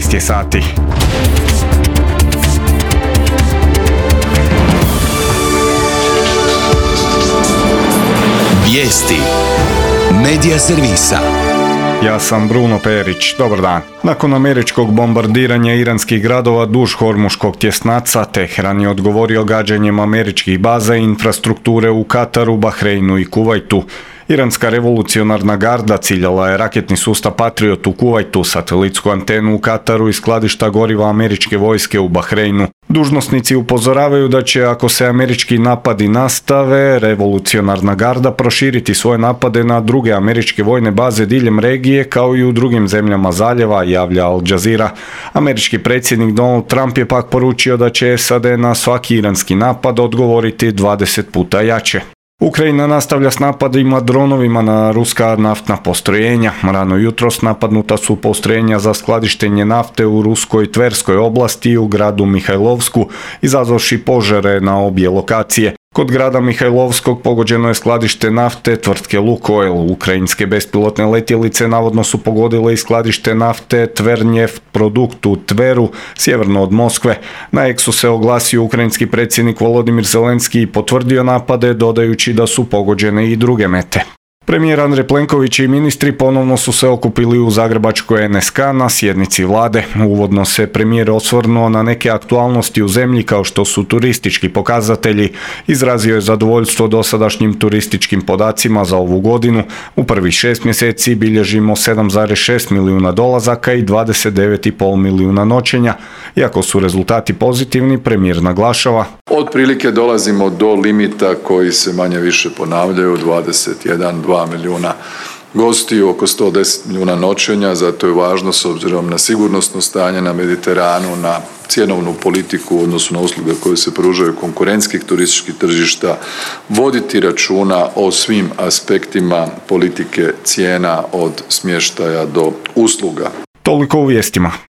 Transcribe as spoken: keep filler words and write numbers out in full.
šesnaest je sati. Vijesti Medija servisa. Ja sam Bruno Perić, dobar dan. Nakon američkog bombardiranja iranskih gradova duž Hormuškog tjesnaca, Teheran je odgovorio gađanjem američkih baza i infrastrukture u Kataru, Bahreinu i Kuvajtu. Iranska revolucionarna garda ciljala je raketni sustav Patriot u Kuvajtu, satelitsku antenu u Kataru i skladišta goriva američke vojske u Bahreinu. Dužnosnici upozoravaju da će, ako se američki napadi nastave, revolucionarna garda proširiti svoje napade na druge američke vojne baze diljem regije, kao i u drugim zemljama zaljeva, javlja Al Jazeera. Američki predsjednik Donald Trump je pak poručio da će S A D na svaki iranski napad odgovoriti dvadeset puta jače. Ukrajina nastavlja s napadima dronovima na ruska naftna postrojenja. Rano jutros napadnuta su postrojenja za skladištenje nafte u ruskoj Tverskoj oblasti i u gradu Mihajlovsku, izazvavši požare na obje lokacije. Kod grada Mihajlovskog pogođeno je skladište nafte tvrtke Lukoil. Ukrajinske bespilotne letjelice navodno su pogodile i skladište nafte Tvernjeft produkt u Tveru, sjeverno od Moskve. Na Eksu se oglasio ukrajinski predsjednik Volodimir Zelenski i potvrdio napade, dodajući da su pogođene i druge mete. Premijer Andrej Plenković i ministri ponovno su se okupili u zagrebačkoj N S K na sjednici vlade. Uvodno se premijer osvrnuo na neke aktualnosti u zemlji kao što su turistički pokazatelji. Izrazio je zadovoljstvo dosadašnjim turističkim podacima za ovu godinu. U prvih šest mjeseci bilježimo sedam zarez šest milijuna dolazaka i dvadeset devet zarez pet milijuna noćenja. Iako su rezultati pozitivni, premijer naglašava: otprilike dolazimo do limita koji se manje više ponavljaju, dvadeset jedan, dva milijuna gostiju, oko sto deset milijuna noćenja, zato je važno s obzirom na sigurnosno stanje na Mediteranu, na cjenovnu politiku u odnosu na usluge koje se pružaju konkurentskih turističkih tržišta, voditi računa o svim aspektima politike cijena od smještaja do usluga. Toliko u vijestima.